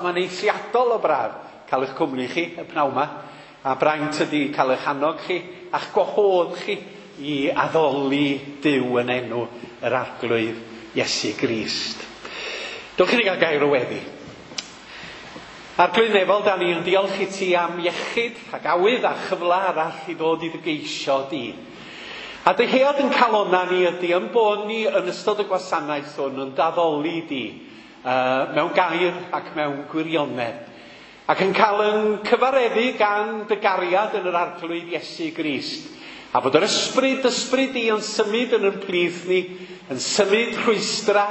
Mae'n eithriadol o braf cael eich cwmni chi y pnawn 'ma. A braint ydy cael eich annog chi a'ch gwahodd chi i addoli Duw yn enw yr Arglwydd Iesu Grist. Dewch i ni gael gair o weddi. Arglwydd Nefol, da ni yn diolch i ti am iechyd ac awydd a chyfle arall i ddod i dy geisio di. A dyhead yn calonna ni ydy yn bod ni yn ystod y gwasanaeth hwn yn daddoli di mewn gair ac mewn gwirionedd. Ac yn cael yn cyfareddu gan dy gariad yn yr Arglwydd Iesu Grist. A bod yr ysbryd, ysbryd di yn symud yn yn plith ni, yn symud rhwystra,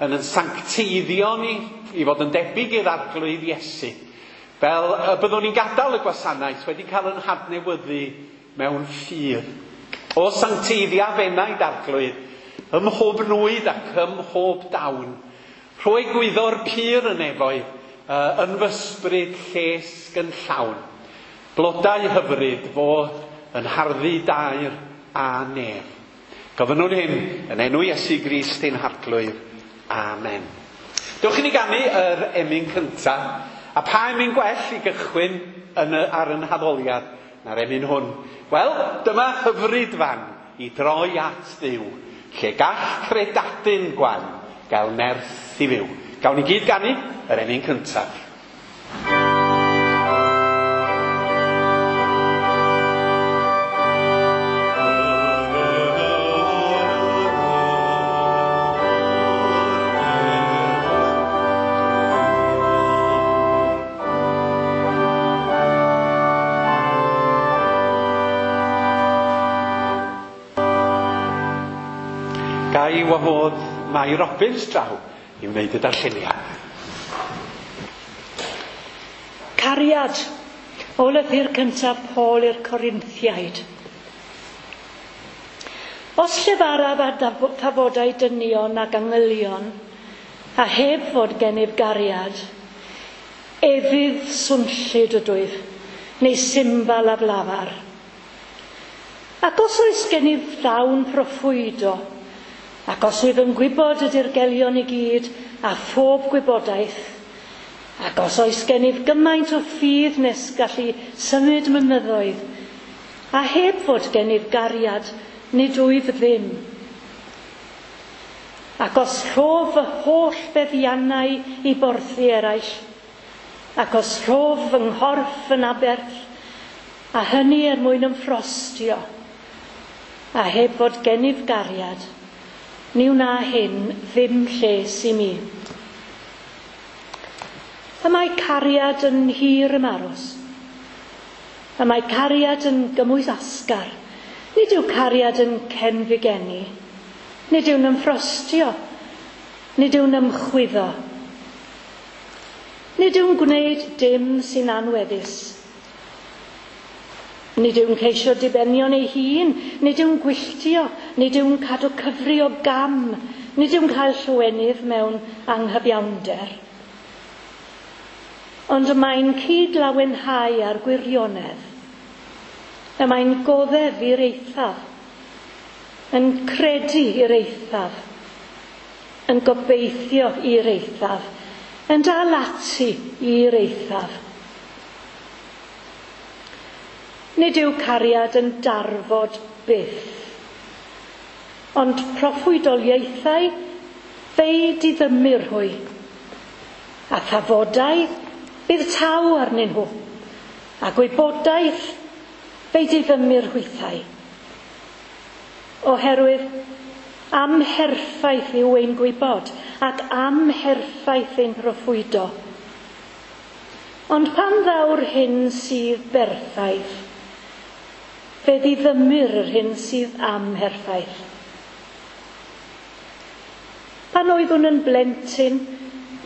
yn yn sancteiddio ni, i fod yn debyg i'r Arglwydd Iesu. Fel y byddwn ni'n gadael y gwasanaeth wedi cael yn hadnewyddu mewn ffydd. O sancteiddia f'enaid Arglwydd, ym mhob nwyd ac ym mhob dawn. Rhoi gwyddor pur yn nefoedd, yn fy ysbryd llesg yn llawn. Blodau hyfryd fo yn harddu dair a nef. Gofynnwn hyn yn enw Iesu Grist ein Harglwydd. Amen. Dewch i ni ganu yr emyn cyntaf, a pa emyn gwell i gychwyn yn y, ar yn haddoliad na'r emyn hwn? Wel, dyma hyfryd fan i droi at Dduw, lle gall credadun gwan gael nerth i fyw. Gawn ni gyd ganu yr emyn cyntaf. Ga i wahodd Mai Robbins draw i wneud y darlleniad. Cariad, o lythyr cyntaf Paul i'r Corinthiaid. Os llefaraf ar thafodau dynion ac angylion, a heb fod gennyf gariad, efydd swnllyd ydwyf, neu symbal aflafar. Ac os oes gennyf ddawn proffwydo, ac os wyf yn gwybod y dirgelion i gyd a phob gwybodaeth, ac os oes gennyf gymaint o ffydd nes gallu symud mynyddoedd, a heb fod gennyf gariad, nid wyf ddim. Ac os rhof fy holl feddiannau i borthi eraill, ac os rhof fy nghorff yn aberth, a hynny er mwyn ymffrostio, a heb fod gennyf gariad, ni wna hyn ddim lles i mi. Y mae cariad yn hir ymaros. Y mae cariad yn gymwys asgar. Nid yw cariad yn cenfigeni. Nid yw'n ymffrostio. Nid yw'n ymchwyddo. Nid yw'n gwneud dim sy'n anweddus. Nid yw'n ceisio dibenion ei hun, nid yw'n gwylltio, nid yw'n cadw cyfri o gam, nid yw'n cael llawenydd mewn anghyfiawnder. Ond y mae'n cyd-lawenhau ar gwirionedd. Y mae'n goddef i'r eithaf, yn credu i'r eithaf, yn gobeithio i'r eithaf, yn dal ati i'r eithaf. Nid yw cariad yn darfod byth. Ond proffwydoliaethau fe'i diddymir hwy. A thafodau bydd taw arnyn nhw. A gwybodaeth fe'i diddymir hwythau. Oherwydd amherffaith yw ein gwybod ac amherffaith ein proffwydo. Ond pan ddaw'r hyn sydd berffaith, fe ddiddymir yr hyn sydd amherffaith. Pan oeddwn yn blentyn,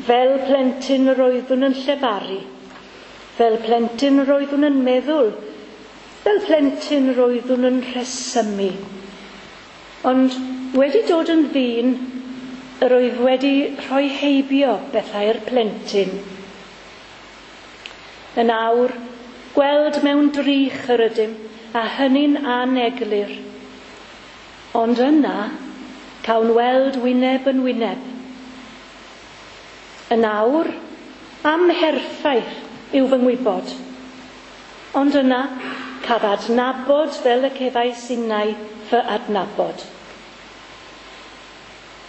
fel plentyn yr oeddwn yn llefaru, fel plentyn yr oeddwn yn meddwl, fel plentyn yr oeddwn yn rhesymu. Ond wedi dod yn ddyn, yr oedd wedi rhoi heibio bethau'r plentyn. Yn awr, gweld mewn drych yr ydym, a hynny'n aneglur. Ond yna, cawn weld wyneb yn wyneb. Yn awr, Amherffaith yw fy ngwybod. Ond yna, caf adnabod fel y cefais innau fy adnabod.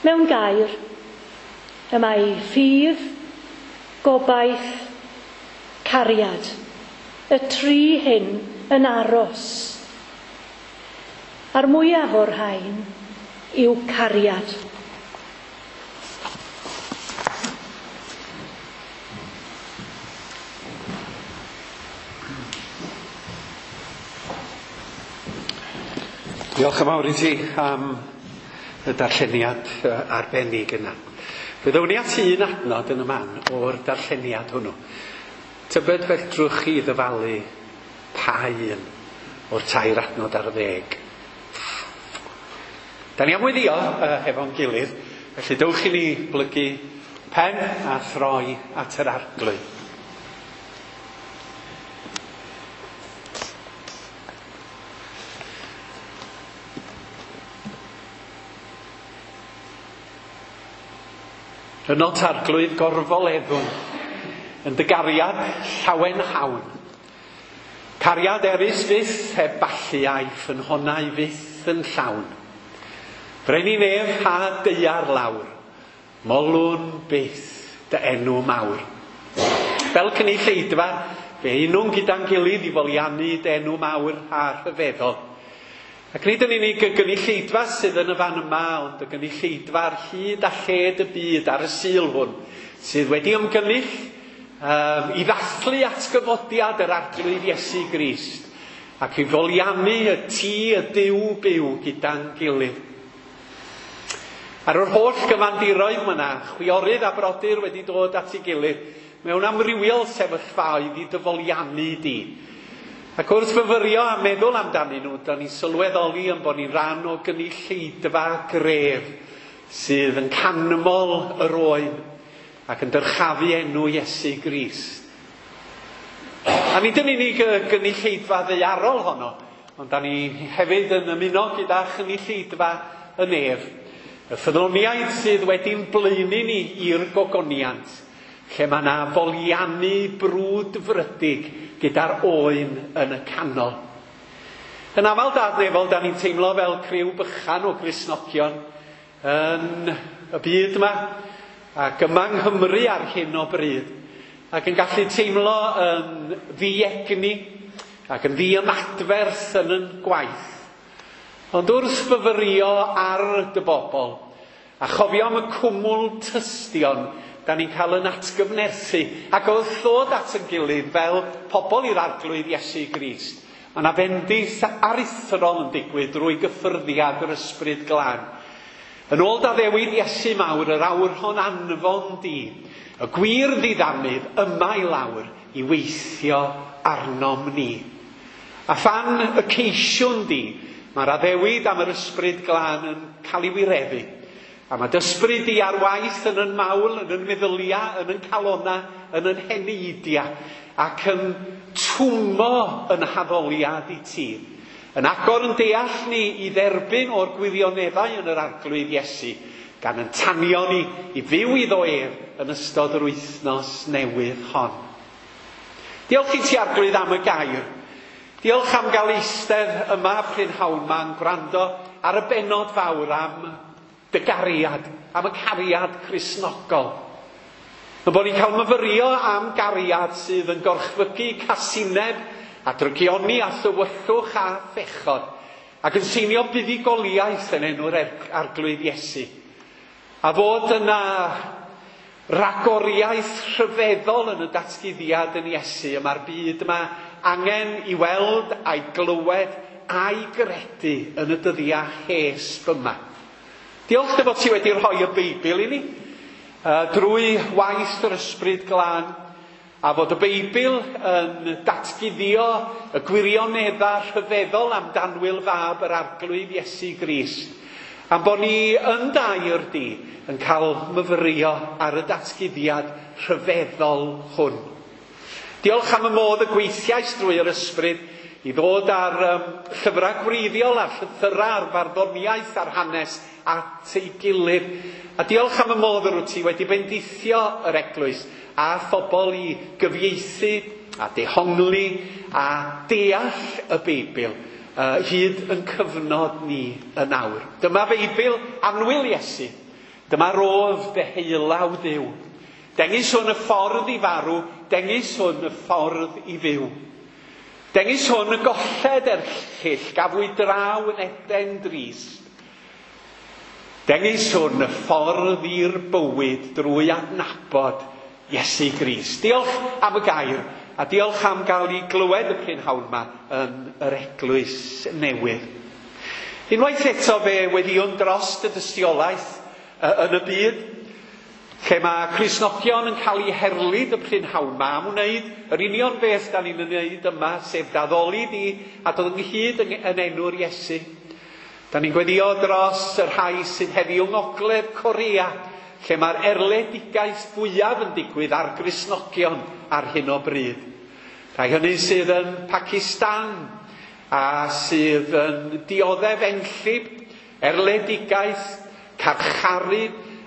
Mewn gair, y mae ffydd, gobaith, cariad. Y tri hyn yn aros. A'r mwyaf o'r rhain yw cariad. Diolch yn fawr i ti am y darlleniad arbennig yna. Fe ddown ni at un adnod yn y man o'r darlleniad hwnnw. Tybed fedrwch chi ddyfalu pa un o'r 3 adnod ar 10. Da ni am weddïo hefo'n gilydd, felly dewch i ni blygu pen a throi at yr Arglwydd. Yno Arglwydd gorfoleddwn, yn dy gariad llawen hawn. Cariad erys fyth heb ballu a'i ffynhonnau fyth yn llawn. Brenin nef a daear lawr, molwn byth dy enw mawr. Fel cynulleidfa, fe unwn gyda'n gilydd i foliannu dy enw mawr a rhyfeddol. Ac nid yn unig y gynulleidfa sydd yn y fan yma, ond y gynulleidfa ar hyd a lled y byd ar y Sul hwn, sydd wedi ymgynnull i ddathlu atgyfodiad yr Arglwydd Iesu Grist, ac i foliannu y tŷ y Duw byw gyda'n gilydd. Ar yr holl gyfandiroedd mae yna chwiorydd a brodyr wedi dod at ei gilydd mewn amrywiol sefyllfaoedd i dyfoliannu di. Ac wrth fyfyrio a meddwl amdanyn nhw, da ni'n sylweddoli yn bod ni'n rhan o gynulleidfa gref sydd yn canmol yr oen ac yn dyrchafu enw Iesu Grist. A nid yn unig y gynulleidfa ddaearol honno, ond da ni hefyd yn ymuno gyda chynulleidfa y nef, y ffyddloniaid sydd wedi'n blaenu ni i'r gogoniant, lle mae yna foliannu brwdfrydig gyda'r oen yn y canol. Yn aml dadnefol, da ni'n teimlo fel criw bychan o Gristnogion yn y byd yma, ac yma yng Nghymru ar hyn o bryd, ac yn gallu teimlo yn ddiegni ac yn ddiymadferth yn yn gwaith. Ond wrth fyfyrio ar dy bobl, a chofio am y cwmwl tystion, da ni'n cael yn atgyfnerthu, ac wrth ddod at yn gilydd fel pobl i'r Arglwydd Iesu Grist, mae yna fendith aruthrol yn digwydd drwy gyffyrddiad yr Ysbryd Glân. Yn ôl d'addewid Iesu mawr, yr awr hon anfon di, y gwir ddiddanydd yma i lawr i weithio arnom ni. A phan y ceisiwn di, mae'r addewid am yr Ysbryd Glân yn cael ei wireddu. A mae dysbryd di ar waith yn yn mawl, yn yn meddylia, yn yn calona, yn yn heneidia, ac yn twmo yn haddoliad i ti. Yn agor yn deall ni i dderbyn o'r gwirioneddau yn yr Arglwydd Iesu, gan yn tanio ni i fyw iddo ef yn ystod yr wythnos newydd hon. Diolch i ti, Arglwydd, am y gair. Diolch am gael eistedd yma prynhawn ma'n gwrando ar y bennod fawr am dy gariad, am y cariad Cristnogol. Mae bod ni'n cael myfyrio am gariad sydd yn gorchfygu casineb a drygioni a thywyllwch a phechod, ac yn seinio buddugoliaeth yn enw'r Arglwydd Iesu. A fod yna ragoriaeth rhyfeddol yn y datguddiad yn Iesu, y mae'r byd yma angen i weld a'i glywed a'i gredu yn y dyddiau hesb yma. Diolch dy fod ti wedi rhoi y Beibl i ni, drwy waith yr Ysbryd Glân, a fod y Beibl yn datguddio y gwirioneddau rhyfeddol am danwyl fab yr Arglwydd Iesu Grist, am bod ni yn dair di yn cael myfyrio ar y datguddiad rhyfeddol hwn. Diolch am y modd y gweithiais drwy'r Ysbryd i ddod ar llyfrau gwreiddiol a'r llythyrau a'r farddoniaeth a'r hanes at ei gilydd. A diolch am y modd yr wyt ti wedi bendithio yr eglwys a phobl i gyfieithu a dehongli a deall y Beibl hyd yn cyfnod ni yn awr. Dyma Feibl annwyl Iesu. Dyma rodd deheulaw Dduw. Dengys hwn y ffordd i farw, dengys hwn y ffordd i fyw. Dengys hwn y golled erchyll gafwyd draw yn Eden drist. Dengys hwn y ffordd i'r bywyd drwy adnabod Iesu Grist. Diolch am y gair a diolch am gael ei glywed y prynhawn yma yn yr eglwys newydd. Unwaith eto fe weddïwn dros y dystiolaeth yn y byd, lle mae Cristnogion yn cael eu herlid y prynhawn yma am wneud yr union beth da ni'n wneud yma, sef daddoli di a dod ynghyd yn enw'r Iesu. Da ni'n gweddio dros y rhai sydd heddiw yng Ngogledd Corea, lle mae'r erledigaeth fwyaf yn digwydd ar Gristnogion ar hyn o bryd. Rhai hynny sydd yn Pakistan a sydd yn dioddef enllib, erledigaeth, carcharu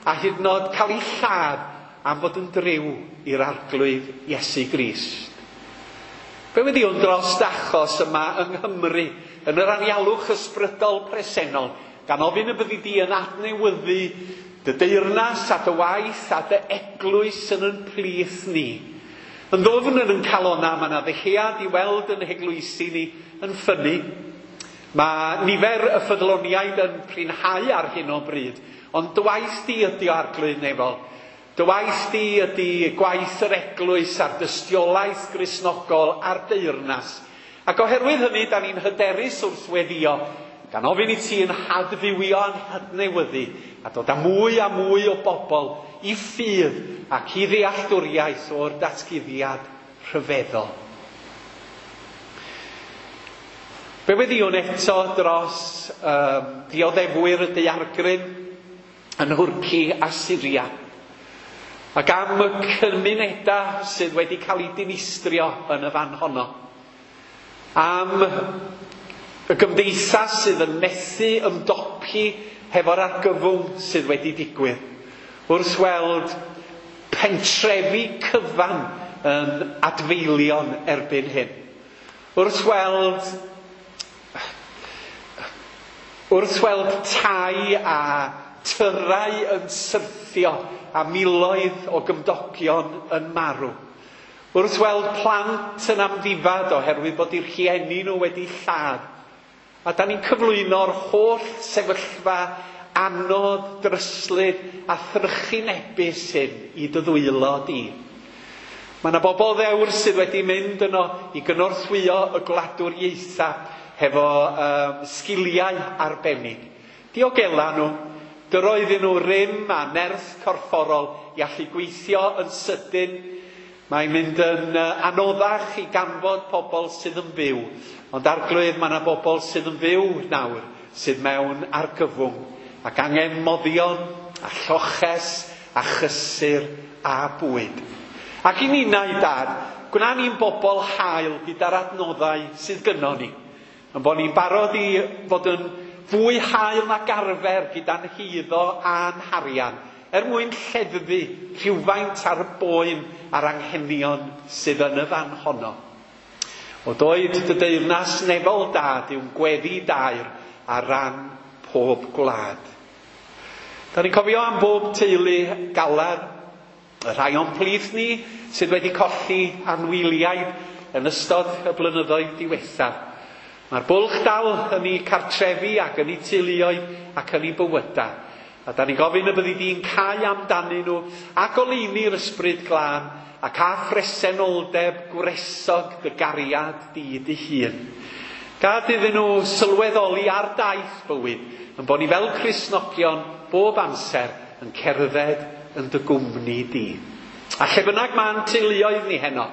a hyd yn oed cael eu lladd am fod yn driw i'r Arglwydd Iesu Grist. Fe weddïwn dros achos yma yng Nghymru, yn yr anialwch ysbrydol presennol, gan ofyn y byddi di yn adnewyddu dy deyrnas a dy waith a dy eglwys yn yn plith ni. Yn ddwfn yn yn calona, mae yna ddyhead i weld yn heglwysi ni yn ffynnu. Mae nifer y ffyddloniaid yn prinhau ar hyn o bryd, ond dy waith di ydi o Arglwydd nefol. Dy waith di ydi gwaith yr eglwys a'r dystiolaeth Gristnogol a'r deyrnas. Ac oherwydd hynny, da ni'n hyderus wrth weddio, gan ofyn i ti yn hadfywio a'n hadnewyddu, a dod â mwy a mwy o bobl i ffydd ac i ddealltwriaeth o'r datguddiad rhyfeddol. Fe weddïwn eto dros dioddefwyr y daeargryn yn Nhwrci a Syria, ac am y cymunedau sydd wedi cael eu dinistrio yn y fan honno, am y gymdeithas sydd yn methu ymdopi hefo'r argyfwng sydd wedi digwydd, wrth weld pentrefi cyfan yn adfeilion erbyn hyn, wrth weld tai a tyrau yn syrthio a miloedd o gymdogion yn marw, wrth weld plant yn amddifad oherwydd bod eu rhieni nhw wedi lladd. A da ni'n cyflwyno'r holl sefyllfa anodd, dryslyd a thrychinebus hyn i dy ddwylo di. Mae yna bobl ddewr sydd wedi mynd yno i gynorthwyo y gwladwriaethau hefo sgiliau arbennig. Diogela nhw, dyro iddyn nhw rym a nerth corfforol i allu gweithio yn sydyn. Mae'n mynd yn anoddach i ganfod pobl sydd yn fyw. Ond Arglwydd, mae yna bobl sydd yn fyw nawr, sydd mewn argyfwng, ac angen moddion, a lloches, a chysur, a bwyd. Ac i ninnau, Dad, gwna ni'n bobl hael gyda'r adnoddau sydd gynnon ni. Yn bod ni'n barod i fod yn fwy hael nag arfer gyda'n heiddo a'n harian, er mwyn lleddfu rhywfaint ar y boen a'r anghenion sydd yn y fan honno. O doed dy deyrnas nefol Dad yw'n gweddi dair ar ran pob gwlad. Da ni'n cofio am bob teulu galar, y rhai o'n plith ni sydd wedi colli anwyliaid yn ystod y blynyddoedd diwethaf. Mae'r bwlch dal yn eu cartrefi ac yn eu teuluoedd ac yn eu bywydau. A da ni'n gofyn y byddi di'n cau amdanyn nhw a goleuni'r ysbryd glân ac a phresenoldeb gwresog dy gariad di dy hun. Gad iddyn nhw sylweddoli ar daith bywyd, yn bod ni fel Cristnogion bob amser yn cerdded yn dy gwmni di. A lle bynnag ma'n teuluoedd ni heno,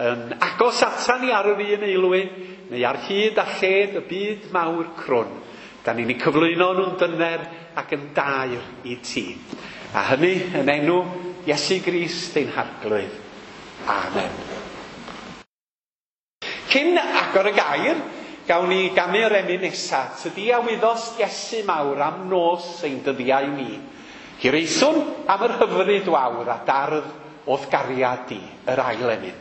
yn agos ata ni ar yr un aelwyd, neu ar hyd a lled y byd mawr crwn, da ni'n eu cyflwyno nhw'n dyner ac yn dair i ti. A hynny yn enw Iesu Grist ein Harglwydd. Amen. Cyn agor y gair, gawn ni ganu'r emyn nesaf. Tydi a wyddost Iesu mawr am nos ein dyddiau ni. Hiraethwn am yr hyfryd wawr a dardd o'th gariad di, yr ail emyn.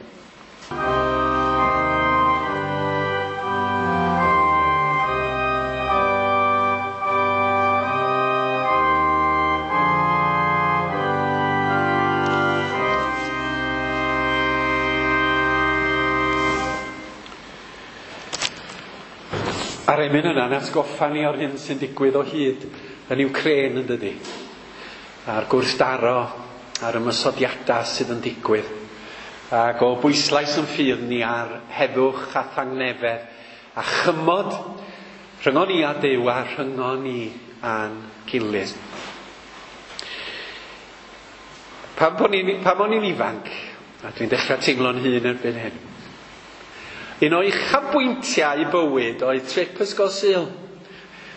A'r emyn yna'n atgoffa ni o'r hyn sy'n digwydd o hyd yn Wcráin, yn dydi? A'r gwrthdaro a'r ymosodiadau sydd yn digwydd. Ac o bwyslais yn ffydd ni ar heddwch a thangnefedd a chymod rhyngon ni a Duw a rhyngon ni a'n gilydd. Pan o'n i'n ifanc, a dwi'n dechrau teimlo'n hun erbyn hyn, un o uchafbwyntiau bywyd oedd trip ysgol Sul.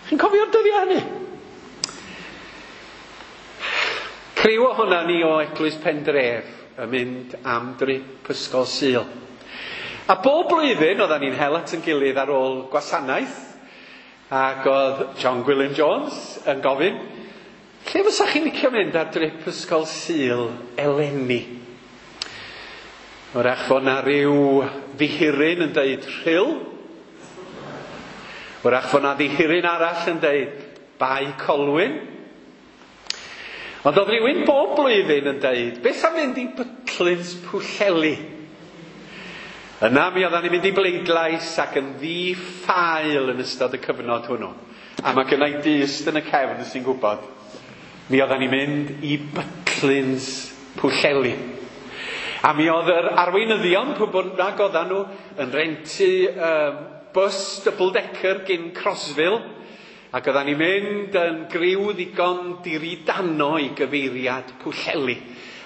Chi'n cofio'r dyddiau hynny? Criw ohona ni o Eglwys Pendref yn mynd am drip ysgol Sul. A bob blwyddyn oedden ni'n hel at yn gilydd ar ôl gwasanaeth, ac oedd John Gwilym Jones yn gofyn, lle fysa chi'n licio mynd ar drip ysgol Sul eleni? Wrach fod na ryw ddihiryn yn deud Rhyl. Wrach fod na ddihiryn arall yn deud Bae Colwyn. Ond oedd rhywun bob blwyddyn yn deud, beth am fynd i Butlins Pwllheli? Yna mi oedden ni'n mynd i bleidlais ac yn ddi-ffael yn ystod y cyfnod hwnnw. A mae gynna i dyst yn y cefn sy'n gwybod. Mi oedden ni'n mynd i Butlins Pwllheli. A mi oedd yr arweinyddion, pwy bynnag oedden nhw, yn rentu bus double-decker gyn Crosville, ac oedden ni'n mynd yn griw ddigon diridano i gyfeiriad Pwllheli.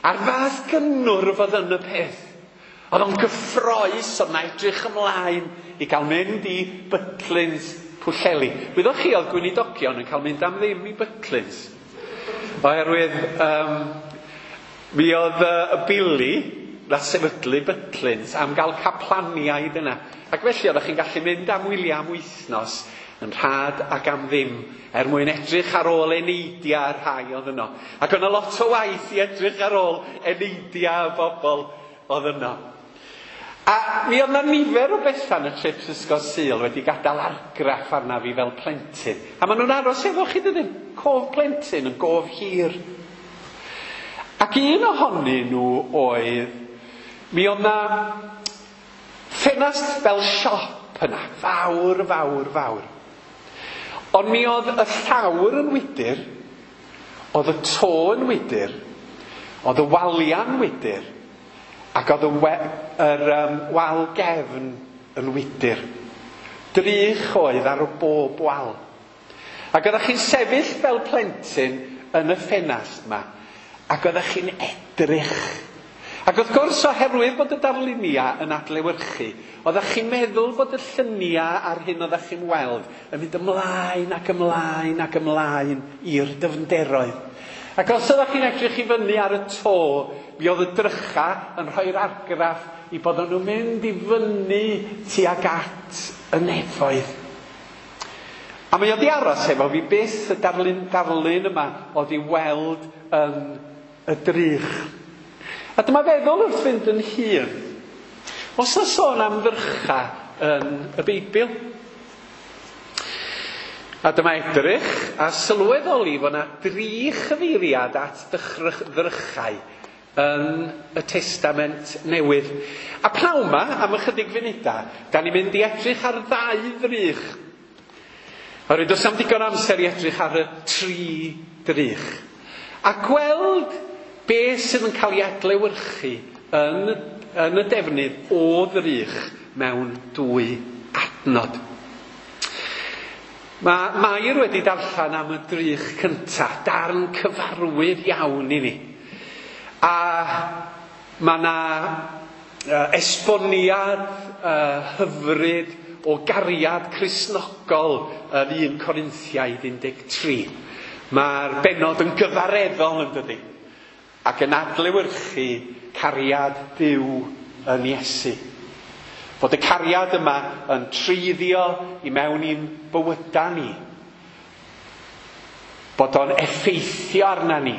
A'r fath gynnwrf oedd yn y peth. Oedd o'n gyffrous, oedd na edrych ymlaen i gael mynd i Butlins Pwllheli. Wyddoch chi, oedd gweinidogion yn cael mynd am ddim i Butlins. Oherwydd mi oedd y Billy na sefydlu Butlins am gael caplaniaid yna. Ac felly oeddech chi'n gallu mynd am wyliau am wythnos yn rhad ac am ddim, er mwyn edrych ar ôl eneidiau rhai oedd yno. Ac oedd yna lot o waith i edrych ar ôl eneidiau y bobl oedd yno. A mi oedd yna nifer o bethau yn y trips ysgol Sul wedi gadael argraff arna fi fel plentyn. A maen nhw'n aros efo chi, dydyn? Cof plentyn yn gof hir. Ac un ohonyn nhw oedd, mi oedd yna ffenast fel siop yna, fawr, fawr, fawr. Ond mi oedd y llawr yn wydyr, oedd y to yn wydyr, oedd y waliau'n wydyr, ac oedd y wal gefn yn wydyr. Drych oedd ar bob wal. Ac oeddech chi'n sefyll fel plentyn yn y ffenast yma, ac oeddech chi'n edrych. Ac wrth gwrs, oherwydd bod y darluniau yn adlewyrchu, oeddech chi'n meddwl bod y lluniau a'r hyn oeddech chi'n weld yn mynd ymlaen ac ymlaen ac ymlaen i'r dyfnderoedd. Ac os oeddech chi'n edrych i fyny ar y to, mi oedd y drycha yn rhoi'r argraff i bod nhw'n mynd i fyny tuag at y nefoedd. A mi oedd i aros efo fi byth y darlun yma oedd i weld yn y drych. A dyma feddwl wrth fynd yn hir. Os na sôn am ddrycha yn y Beibl. A dyma edrych a sylweddoli fod yna dri chyfeiriad at ddrychau yn y Testament Newydd. A pnawn yma, am ychydig funudau, da ni'n mynd i edrych ar ddau ddrych. Oherwydd does am digon amser i edrych ar y tri drych. A gweld beth sydd yn cael ei adlewyrchu yn y defnydd o ddrych mewn dwy adnod. Mae Mair wedi darllen am y drych cyntaf, darn cyfarwydd iawn i ni. A mae yna esboniad hyfryd o gariad Cristnogol yn 1 Corinthiaid 13. Mae'r bennod yn gyfareddol, yn dydi, ac yn adlewyrchu cariad Duw yn Iesu. Fod y cariad yma yn treiddio i mewn i'n bywyda ni. Bod o'n effeithio arna ni.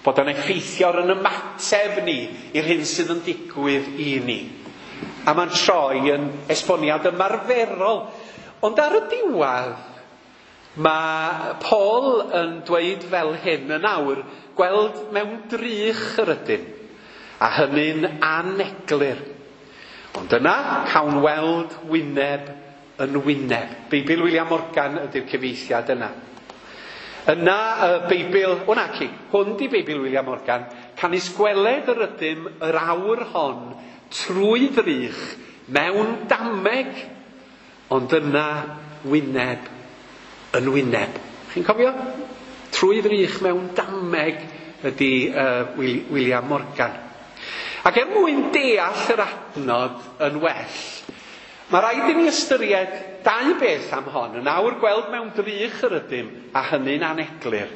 Bod o'n effeithio ar yn ymateb ni i'r hyn sydd yn digwydd i ni. A mae'n troi yn esboniad ymarferol. Ond ar y diwedd, mae Paul yn dweud fel hyn yn awr, gweld mewn drych yr ydym, a hynny'n aneglur. Ond yna, cawn weld wyneb yn wyneb. Beibl William Morgan ydy'r cyfieithiad yna. Yna y Beibl, o naci, hwn di Beibl William Morgan, canys gweled yr ydym yr awr hon trwy ddrych mewn dameg, ond yna wyneb yn wyneb. Chi'n cofio? Trwy ddrych mewn dameg ydy William Morgan. Ac er mwyn deall yr adnod yn well, mae rhaid i ni ystyried dau beth am hon. Yn awr gweld mewn drych yr ydym, a hynny'n aneglur.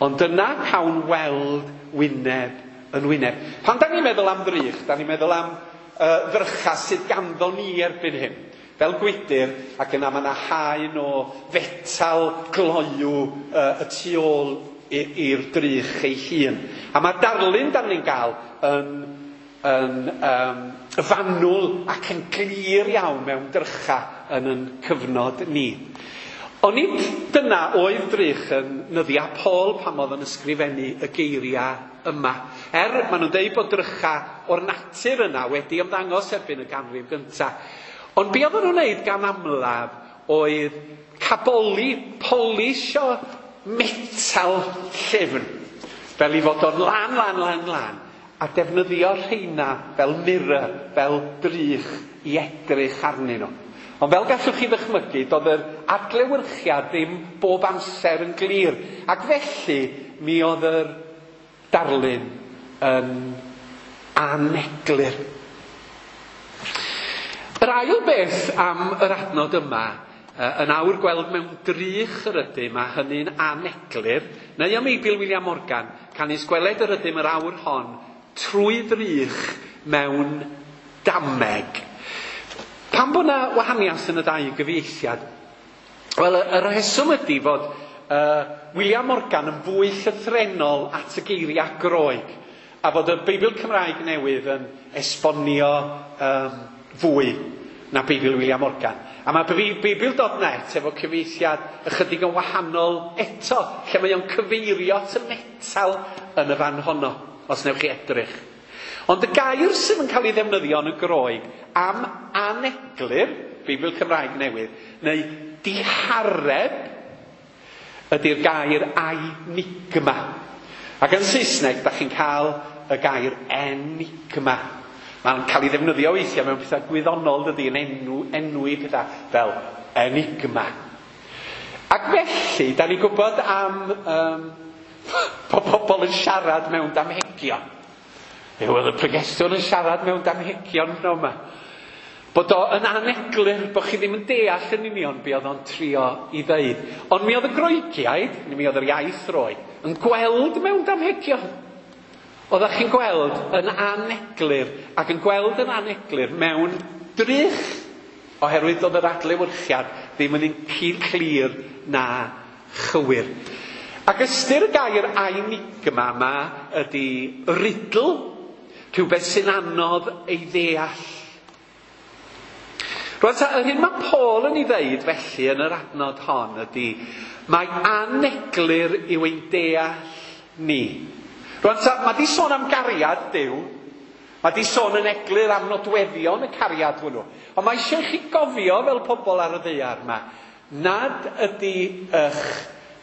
Ond yna cawn weld wyneb yn wyneb. Pan da ni'n meddwl am ddrych, da ni'n meddwl am ddrycha sydd ganddo ni erbyn hyn. Fel gwydyr, ac yna mae yna haen o fetal gloyw y tu ôl i'r drych ei hun. A mae darlun da ni'n gael yn fanwl ac yn glir iawn mewn drycha yn yn cyfnod ni. Ond nid dyna oedd drych yn nyddiau Paul pan oedd yn ysgrifennu y geiriau yma. Maen nhw'n dweud bod drycha o'r natur yna wedi ymddangos erbyn y ganrif gyntaf. Ond be oedden nhw'n wneud gan amlaf oedd caboli, polisio metal llyfn, fel i fod o'n lan, lan, lan, lan, a defnyddio rheina fel mirror, fel drych i edrych arnyn nhw. Ond fel gallwch chi ddychmygu, doedd yr adlewyrchiad ddim bob amser yn glir. Ac felly, mi oedd yr darlun yn aneglur. Yr ail beth am yr adnod yma, yn awr gweld mewn drych yr ydym, a hynny'n aneglur, neu am Eibl William Morgan, canys gweled yr ydym yr awr hon trwy ddrych mewn dameg. Pam bod yna wahaniaeth yn y ddau gyfieithiad? Wel, y rheswm ydy fod William Morgan yn fwy llythrennol at y geiriau Groeg, a fod y Beibl Cymraeg newydd yn esbonio fwy na Beibl William Morgan. A mae Beibl.net efo cyfieithiad ychydig yn wahanol eto, lle mae o'n cyfeirio at y metal yn y fan honno, os newch chi edrych. Ond y gair sydd yn cael ei ddefnyddio yn y Groeg am aneglur, Beibl Cymraeg newydd, neu dihareb, ydy'r gair enigma. Ac yn Saesneg, da chi'n cael y gair enigma. Mae'n cael ei ddefnyddio weithiau mewn pethau gwyddonol, dydy, yn enwi pethau fel enigma. Ac felly, da ni'n gwybod am bod pobl yn siarad mewn damhegion. Oedd y pregethwr yn siarad mewn damhegion no yma. Bod o yn aneglur, bod chi ddim yn deall yn union be oedd o'n trio i ddeud. Ond mi oedd y Groegiaid, neu mi oedd yr iaith Roeg, yn gweld mewn damhegion. Oeddech chi'n gweld yn aneglur, ac yn gweld yn aneglur mewn drych, oherwydd oedd yr adlewyrchiad ddim yn un clir na chywir. Ac ystyr y gair enigma yma ydy riddle, rhywbeth sy'n anodd ei ddeall. Rwan ta, yr hyn mae Paul yn ei ddeud felly yn yr adnod hon ydy, mae aneglur yw ein deall ni. Rwan ta, mae di sôn am gariad Duw, mae di sôn yn eglur am nodweddion y cariad hwnnw. Ond mae eisiau chi gofio fel pobl ar y ddaear yma, nad ydy eich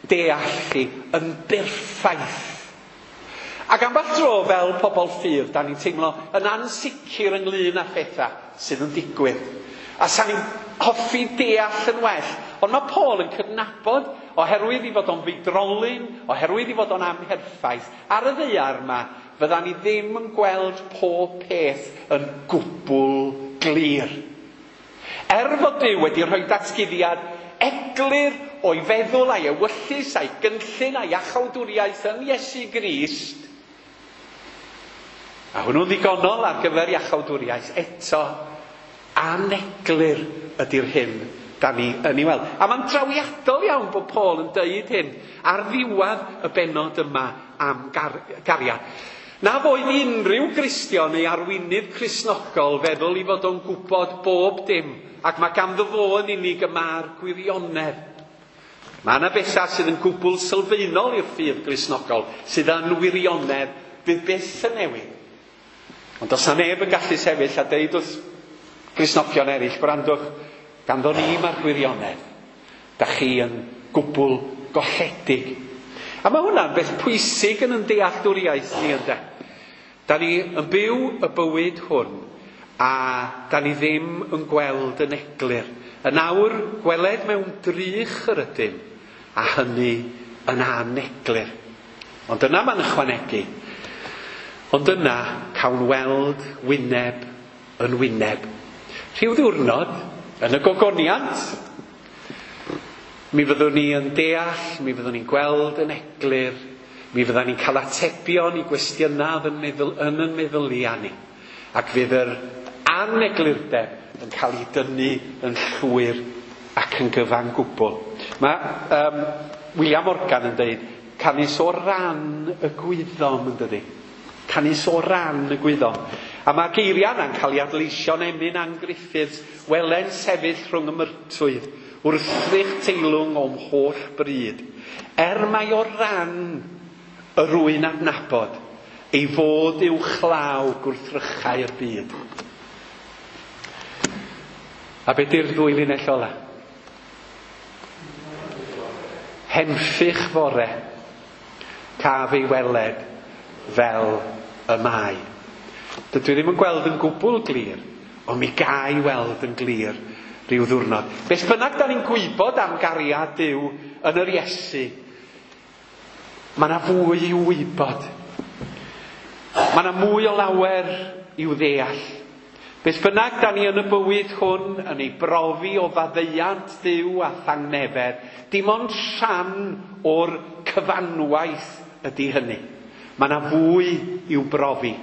deall chi yn berffaith. Ac ambell dro fel pobl ffydd, da ni'n teimlo yn ansicr ynglyn â phethau sydd yn digwydd. A sa'n ni'n hoffi deall yn well. Ond mae Paul yn cydnabod, oherwydd i fod o'n feidrolyn, oherwydd i fod o'n amherffaith, ar y ddaear yma, fydda ni ddim yn gweld pob peth yn gwbl glir. Er fod Duw wedi rhoi datguddiad eglur o'i feddwl a'i ewyllys a'i gynllun a'i iachawdwriaeth yn Iesu Grist, a hwnnw'n ddigonol ar gyfer iachawdwriaeth, eto Aneglur ydy'r hyn da ni yn ei weld. A mae'n drawiadol iawn bod Paul yn deud hyn ar ddiwedd y bennod yma am gariad. Na foedd unrhyw Gristion neu arweinydd Cristnogol feddwl i fod o'n gwybod bob dim, ac mae ganddo fo yn unig y mae'r gwirionedd. Mae yna bethau sydd yn gwbl sylfaenol i'r ffydd Gristnogol, sydd yn wirionedd, fydd byth yn newid. Ond os na neb yn gallu sefyll a deud wrth Gristnogion eraill, gwrandwch, ganddo ni mae'r gwirionedd. Da chi yn gwbl golledig. A mae hwnna'n beth pwysig yn dealltwriaeth ni, ynde. Da ni yn byw y bywyd hwn a da ni ddim yn gweld yn eglur. Yn awr, gweled mewn drych yr ydym, a hynny yn aneglur. Ond yna mae'n ychwanegu. Ond yna cawn weld wyneb yn wyneb. Rhyw ddiwrnod, yn y gogoniant, mi fyddwn ni yn deall, mi fyddwn ni'n gweld yn eglur, mi fyddwn ni'n cael atebion i gwestiynau yn yn meddyliau ni. Ac fydd yr aneglurdeb yn cael ei dynnu yn llwyr ac yn gyfan gwbl. Mae William Morgan yn dweud, canys o ran y gwyddom, yn dydi? Canys o ran y gwyddom. A mae geiriau yna'n cael ei adleisio'n emyn Ann Griffiths, welen sefyll rhwng y myrtwydd, wrthrych teilwng o'm holl bryd. Er mai o ran y rwy'n adnabod, ei fod i'w chlaw gwrthrychau'r byd. A be di'r ddwy linell ola? Henffych fore, caf ei weled fel y mae. Dydw i ddim yn gweld yn gwbl glir, ond mi ga i weld yn glir rhyw ddiwrnod. Beth bynnag da ni'n gwybod am gariad Duw yn yr Iesu, mae yna fwy i'w wybod. Mae yna mwy o lawer i'w ddeall. Beth bynnag da ni yn y bywyd hwn yn ei brofi o faddeuant Duw a thangnefedd, dim ond rhan o'r cyfanwaith ydy hynny. Mae yna fwy i'w brofi.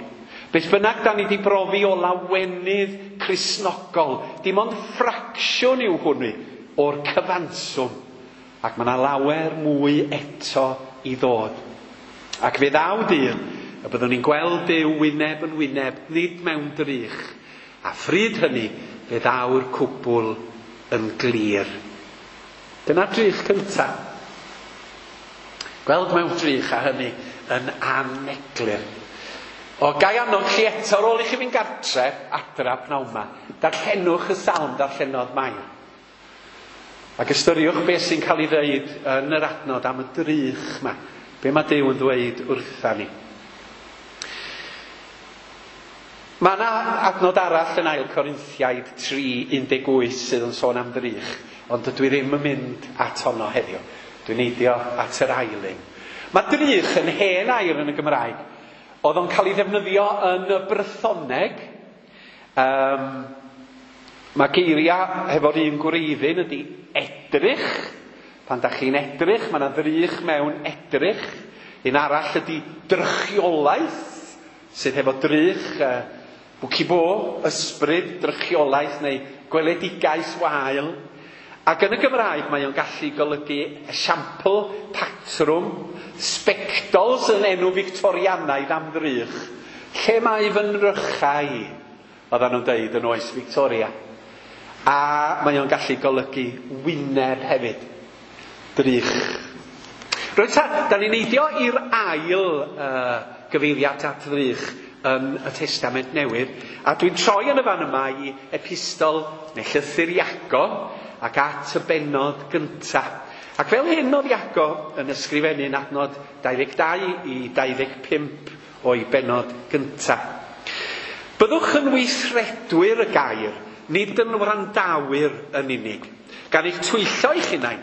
Beth bynnag da ni wedi brofi o lawenydd Cristnogol, dim ond ffracsiwn yw hwnnw o'r cyfanswm. Ac mae yna lawer mwy eto i ddod. Ac fe ddaw dydd y byddwn ni'n gweld Duw wyneb yn wyneb, nid mewn drych. A phryd hynny, fe ddaw'r cwbl yn glir. Dyna'r drych cyntaf. Gweld mewn drych a hynny yn aneglur. O, gai annog chi eto ar ôl i chi fynd gartre, adra pnawn 'ma, darllenwch y salm darllenodd Mair. Ac ystyriwch beth sy'n cael ei ddeud yn yr adnod am y drych yma. Be mae Duw yn ddweud wrtha ni. Mae yna adnod arall yn 2 Corinthiaid 3:18 sydd yn sôn am ddrych, ond dydw i ddim yn mynd at honno heddiw. Dwi'n neidio at yr ail un. Mae drych yn hen air yn y Gymraeg. Oedd o'n cael ei ddefnyddio yn y Brythoneg. Mae geiriau hefo'r un gwreiddyn ydy edrych. Pan da chi'n edrych, mae yna ddrych mewn edrych. Un arall ydy drychiolaeth, sydd hefo drych, bwci bo, ysbryd, drychiolaeth neu gweledigaeth wael. Ac yn y Gymraeg mae o'n gallu golygu esiampl, patrwm, sbectols yn enw Victorianaidd am ddrych. Lle mae fy nrychau i? Oedden nhw'n deud yn oes Victoria. A mae o'n gallu golygu wyneb hefyd. Drych. Rwy'n ta, da ni'n neidio i'r ail gyfeiriad at ddrych yn y Testament Newydd. A dwi'n troi yn y fan yma i epistol neu llythyr Iago ac at y bennod gyntaf. Ac fel hyn oedd Iago yn ysgrifennu'n adnod 22 i 25 o'i bennod gyntaf. Byddwch yn weithredwyr y gair, nid yn wrandawyr yn unig, gan eich twyllo eich hunain.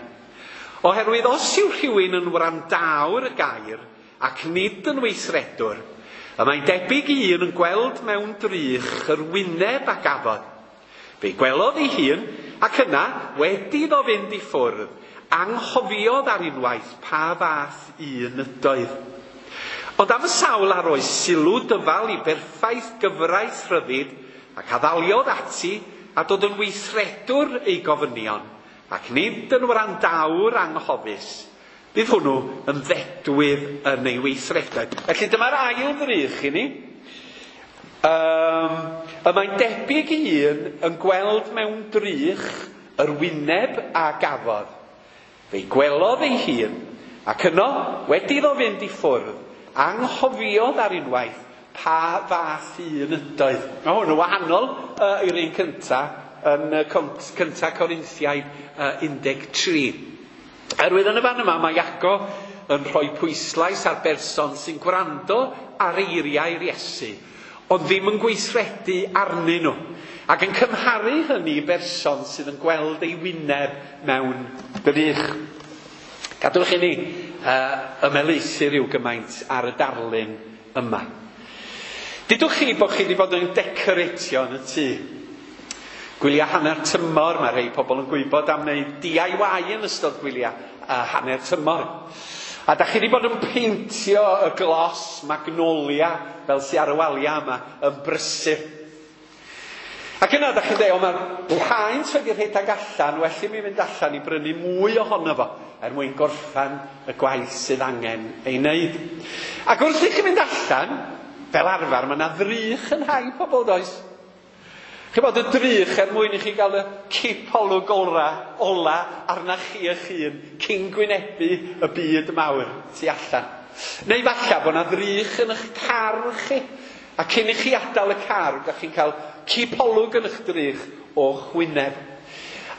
Oherwydd os yw rhywun yn wrandawr y gair ac nid yn weithredwr, y mae'n debyg i un yn gweld mewn drych yr wyneb a gafodd. Fe gwelodd ei hun, ac yna, wedi iddo fynd i ffwrdd, anghofiodd ar unwaith pa fath un ydoedd. Ond am y sawl a roes sylw dyfal i berffaith gyfraith rhyddid ac addaliodd ati, a dod yn weithredwr ei gofynion, ac nid yn wrandawr anghofus, bydd hwnnw yn ddedwydd yn ei weithredoedd. Felly dyma'r ail ddrych i ni. Y mae'n debyg i un yn gweld mewn drych yr wyneb a gafodd. Fe'i gwelodd ei hun, ac yno, wedi iddo fynd i ffwrdd, anghofiodd ar unwaith pa fath un ydoedd. Mae hwn yn wahanol i'r un cynta yn cynta Corinthiaid 13. Erwydd yn y fan yma mae Iago yn rhoi pwyslais ar berson sy'n gwrando ar eiriau'r Iesu, ond ddim yn gweithredu arnyn nhw, ac yn cymharu hynny i berson sydd yn gweld ei wyneb mewn drych. Gadwch i ni ymhelaethu rhyw gymaint ar y darlun yma. Dudwch chi bod chi wedi bod yn decoratio yn y tŷ. Gwyliau hanner tymor, mae rhai pobl yn gwybod am wneud DIY yn ystod gwyliau hanner tymor. A da chi wedi bod yn peintio y glos magnolia fel sy ar y waliau yma yn brysur. Ac yna da chi'n dweud, o mae'r paent wedi rhedeg allan, well i mi fynd allan i brynu mwy ohono fo er mwyn gorffan y gwaith sydd angen ei wneud. Ac wrth i chi fynd allan, fel arfer, mae yna ddrych yn rhai pobl, does? Chi'n bod y drych er mwyn i chi gael y cipolwg ola arna chi eich hun cyn gwynebu y byd mawr tu allan. Neu falle bod yna ddrych yn eich car chi, a cyn i chi adael y car, da chi'n cael cipolwg yn eich drych o'ch wyneb.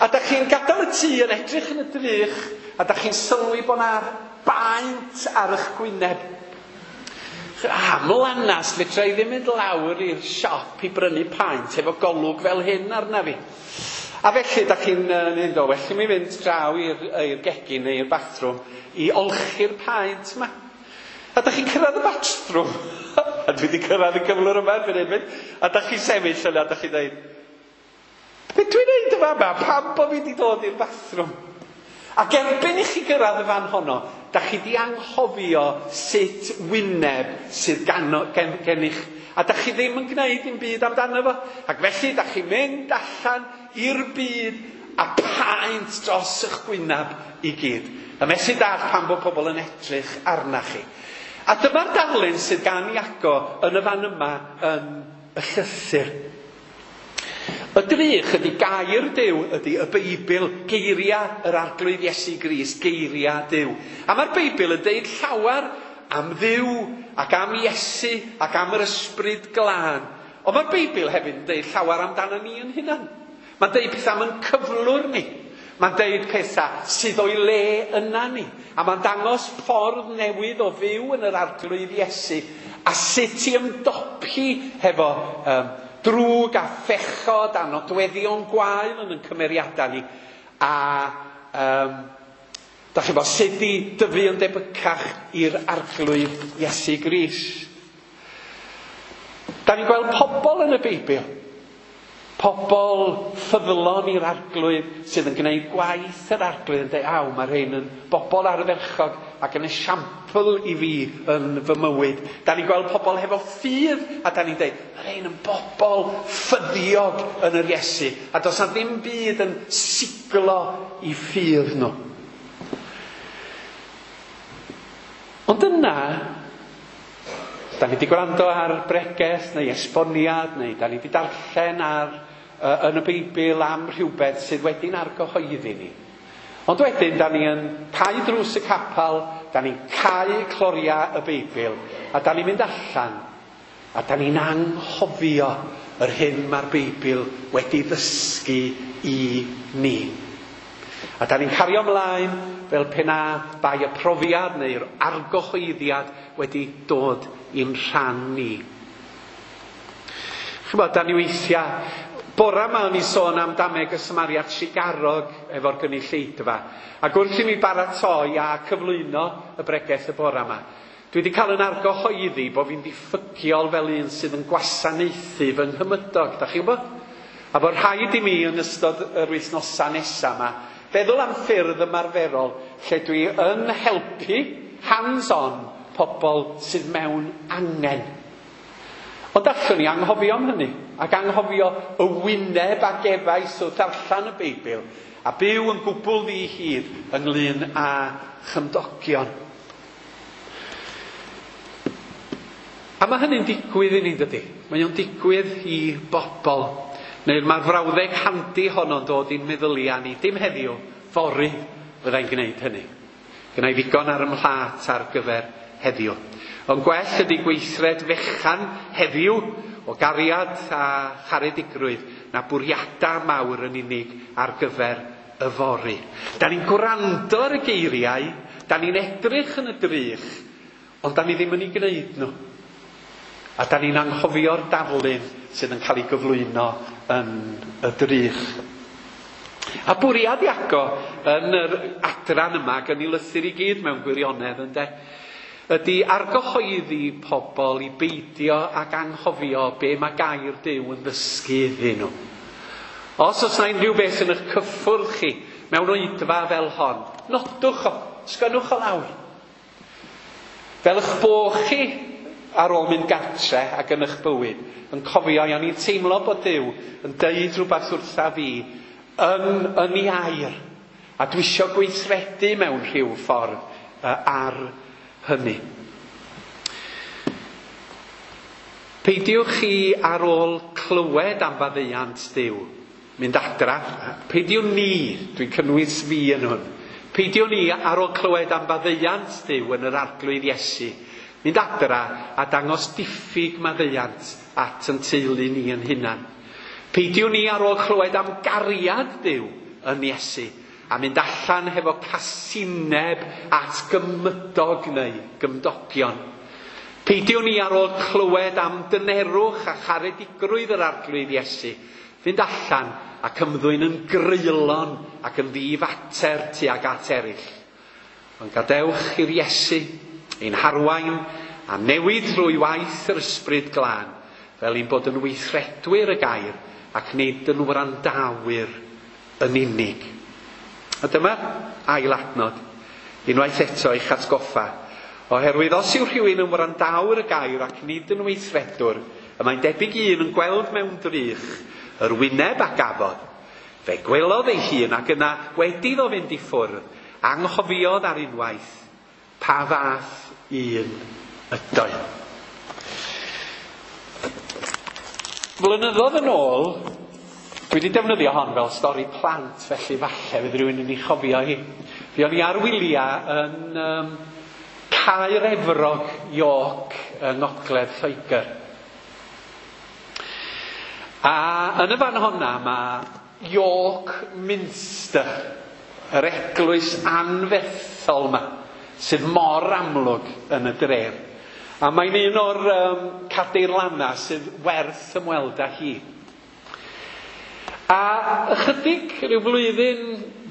A da chi'n gadael y tŷ yn edrych yn y drych, a da chi'n sylwi bod yna baent ar eich gwyneb. Mlanas, fedra i ddim mynd lawr i'r siop i brynu paent efo golwg fel hyn arna fi. A felly, da chi'n mynd o, well i mi fynd draw i'r gegin neu i'r bathroom i olchi'r paent yma. A da chi'n cyrraedd y bathroom. A dwi wedi cyrraedd y cyflwr yma erbyn hyn. A da chi'n sefyll yna, a da chi'n dweud, be dwi'n neud yma yma? Pam bod fi wedi dod i'r bathroom? Ac erbyn i chi gyrraedd y fan honno, da chi di anghofio sut wyneb sydd gennych. A da chi ddim yn gwneud dim byd amdano fo. Ac felly da chi'n mynd allan i'r byd a paent dros eich gwyneb i gyd. A methu dallt pam bod pobl yn edrych arna chi. A dyma'r darlun sydd gan Iago yn y fan yma yn y llythyr. Y drych ydy gair Duw, ydy y Beibl, geiriau yr Arglwydd Iesu Grist, geiriau Duw. A mae'r Beibl yn deud llawer am Dduw ac am Iesu ac am yr Ysbryd Glân. Ond mae'r Beibl hefyd yn deud llawer amdano ni yn hunan. Mae'n deud pethau am ein cyflwr ni. Mae'n deud pethau sydd o'i le yna ni. A mae'n dangos ffordd newydd o fyw yn yr Arglwydd Iesu a sut i ymdopi hefo drwg a phechod a nodweddion gwael yn ein cymeriadau ni. A da chi'n bod sut i dyfu yn debycach i'r Arglwydd Iesu Grist. Da ni'n gweld pobl yn y Beibl. Pobl ffyddlon i'r Arglwydd sydd yn gwneud gwaith yr Arglwydd yn dweud, aw, mae rhain yn bobl ardderchog ac yn esiampl i fi yn fy mywyd. Da ni'n gweld pobl hefo ffydd a da ni'n dweud, mae rhain yn bobl ffyddiog yn yr Iesu. A does na ddim byd yn siglo i ffydd nhw. Ond yna, da ni wedi gwrando ar bregeth neu esboniad neu da ni wedi darllen ar yn y Beibl am rhywbeth sydd wedi'n argyhoeddi ni. Ond wedyn, da ni yn cau drws y capel, da ni'n cau cloriau y Beibl, a da ni'n mynd allan, a da ni'n anghofio yr hyn mae'r Beibl wedi ddysgu i ni. A da ni'n cario ymlaen fel pe na bai y profiad neu'r argyhoeddiad wedi dod i'n rhan ni. Ch'mod, da ni weithiau, bora yma o'n i sôn am dameg y Samaria Trugarog efo'r gynulleidfa. Ac wrth i mi baratoi a cyflwyno y bregeth y bora yma, dwi wedi cael yn argyhoeddi bod fi'n diffygiol fel un sydd yn gwasanaethu fy nghymydog, da chi'n gwybod? A bod rhaid i mi yn ystod yr wythnosau nesaf yma feddwl am ffyrdd ymarferol lle dwi yn helpu hands-on pobl sydd mewn angen. Ond allwn ni anghofio am hynny. ac anghofio y wyneb a gefais o ddarllen y Beibl, a byw yn gwbl ddi-hid ynglyn â chymdogion. A mae hynny'n digwydd i ni, dydy? Mae o'n digwydd i bobl. Neu mae'r frawddeg handi honno'n dod i'n meddyliau ni. Dim heddiw, fory fyddai'n gwneud hynny. Gynna i ddigon ar 'y mhlât ar gyfer heddiw. Ond gwell ydy gweithred fechan heddiw o gariad a charedigrwydd na bwriadau mawr yn unig ar gyfer yfory. Da ni'n gwrando ar y geiriau, da ni'n edrych yn y drych, ond da ni ddim yn ei gwneud nhw. A da ni'n anghofio'r darlun sydd yn cael ei gyflwyno yn y drych. A bwriad Iago yn yr adran yma, ac yn ei lythyr i gyd mewn gwirionedd, ynde, ydy argyhoeddi pobl i beidio ac anghofio be mae gair Duw yn ddysgu iddyn nhw. Os oes 'na unrhyw beth yn eich cyffwrdd chi mewn oedfa fel hon, nodwch o, sgwennwch o lawr. Fel eich bo' chi ar ôl mynd gartre ac yn eich bywyd, yn cofio, o'n i'n teimlo bod Duw yn deud rhywbeth wrtha fi yn, yn ei air, a dwi isio gweithredu mewn rhyw ffordd ar hynny. Peidiwch chi ar ôl clywed am faddeuant Duw, mynd adra, peidiwn ni, dwi'n cynnwys fi yn hwn, peidiwn ni ar ôl clywed am faddeuant Duw yn yr Arglwydd Iesu, mynd adra a dangos diffyg maddeuant at yn teulu ni yn hunan. Peidiwn ni ar ôl clywed am gariad Duw yn Iesu, a mynd allan hefo casineb at gymydog neu gymdogion. Peidiwn ni ar ôl clywed am dynerwch a charedigrwydd yr Arglwydd Iesu, fynd allan ac ymddwyn yn greulon ac yn ddifater tuag at eraill. Ond gadewch i'r Iesu ein harwain a newid drwy waith yr Ysbryd Glân, fel ein bod yn weithredwyr y gair ac nid yn wrandawyr yn unig. A dyma'r ail adnod, unwaith eto i'ch atgoffa. Oherwydd os yw rhywun yn wrandawr y gair ac nid yn weithredwr, y mae'n debyg i un yn gweld mewn drych yr wyneb a gafodd. Fe gwelodd ei hun ac yna wedi iddo fynd i ffwrdd, anghofiodd ar unwaith pa fath un ydoedd. Flynyddoedd yn ôl, dwi wedi defnyddio hon fel stori plant, felly falle fydd rhywun yn ei chofio hi. Fuon ni ar wyliau yn Caer Efrog, York, yng Ngogledd Lloegr. A yn y fan honna mae York Minster, yr eglwys anferthol yma, sydd mor amlwg yn y dref. A mae'n un o'r cadeirlannau sydd werth ymweld â hi. A ychydig rhyw flwyddyn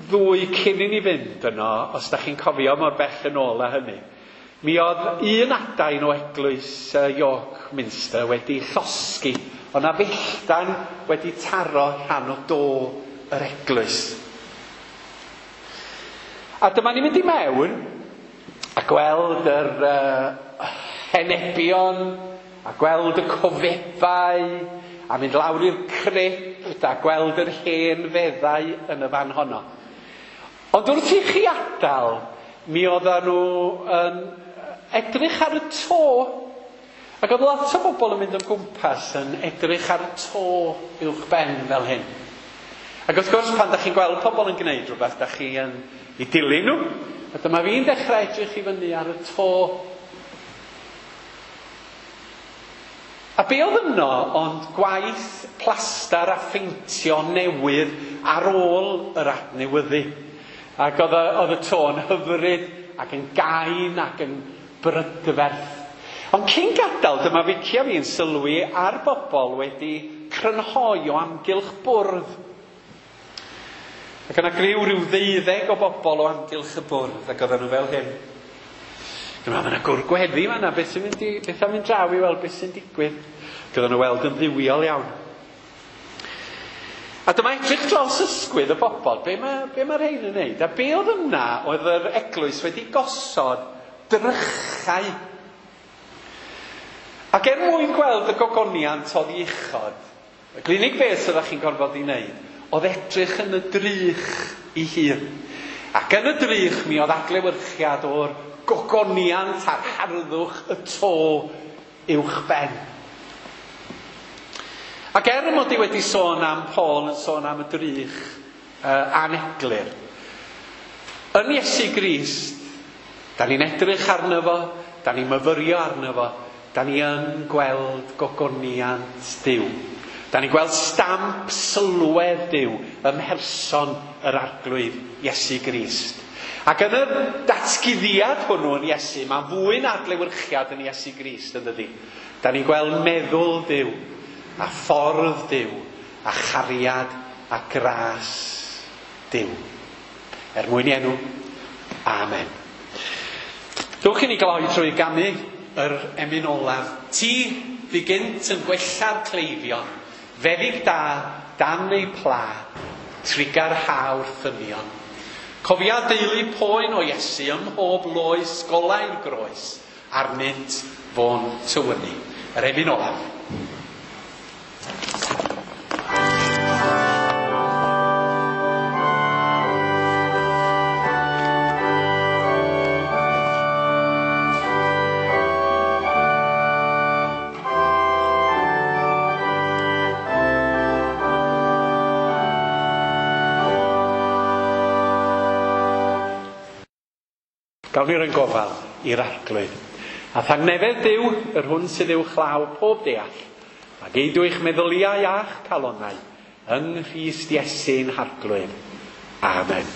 ddwy cyn i ni fynd yno, os da chi'n cofio mor bell yn ôl â hynny, mi oedd un adain o eglwys York Minster wedi llosgi, ond na felltan wedi taro rhan o do yr eglwys. A dyma ni'n mynd i mewn a gweld yr henebion, a gweld y cofebau, a mynd lawr i'r crypt a gweld yr hen feddau yn y fan honno. Ond wrth i chi adael, mi oedden nhw yn edrych ar y to. Ac oedd lot o bobl yn mynd o gwmpas yn edrych ar y to uwch ben fel hyn. Ac wrth gwrs, pan da chi'n gweld pobl yn gwneud rhywbeth, da chi yn ei dilyn nhw. A dyma fi'n dechrau edrych i fyny ar y to. A be oedd yno ond gwaith plastar a pheintio newydd ar ôl yr adnewyddu. Ac oedd y to'n hyfryd ac yn gain ac yn brydferth. Ond cyn gadael, dyma Vicky a fi'n sylwi ar bobl wedi crynhoi o amgylch bwrdd. Ac yna griw rhyw 12 o bobl o amgylch y bwrdd, ac oedden nhw fel hyn. Dyma, mae yna gwr gweddi fan'na, beth sy'n mynd i, beth am mynd draw i weld beth sy'n digwydd. Ac oedden nhw weld yn dduwiol iawn. A dyma edrych dros ysgwydd y bobl, be mae rhain yn neud? A be oedd yna oedd yr eglwys wedi gosod drychau. Ac er mwyn gweld y gogoniant oedd i uchod, Y unig beth oeddech chi'n gorfod ei wneud oedd edrych yn y drych ei hun. Ac yn y drych mi oedd adlewyrchiad o'r gogoniant a'r harddwch y to uwch ben. Ac er mod i wedi sôn am Paul yn sôn am y drych aneglur, yn Iesu Grist, da ni'n edrych arno fo, da ni'n myfyrio arno fo, da ni yn gweld gogoniant Duw. Da ni'n gweld stamp sylwedd Duw ym mherson yr Arglwydd Iesu Grist. Ac yn y datguddiad hwnnw yn Iesu, mae'n fwy na adlewyrchiad yn Iesu Grist, yn dydi? Da ni'n gweld meddwl Duw, a ffordd Duw, a chariad a gras Duw. Er mwyn i enw, amen. Dewch i ni gloi trwy ganu yr emyn olaf. Ti fu gynt yn gwella'r cleifion, feddyg da, dan ei pla, trigar hawr thynion. Cofia deulu poen o Iesu ym mhob loes golau'r groes, arnynt fo'n tywynnu. Yr emyn olaf. Gawn ni roi'n gofal i'r Arglwydd. A thangnefedd Duw, yr hwn sydd uwchlaw pob deall, a geidw eich meddyliau a'ch calonnau yng Nghrist Iesu'n Harglwydd. Amen.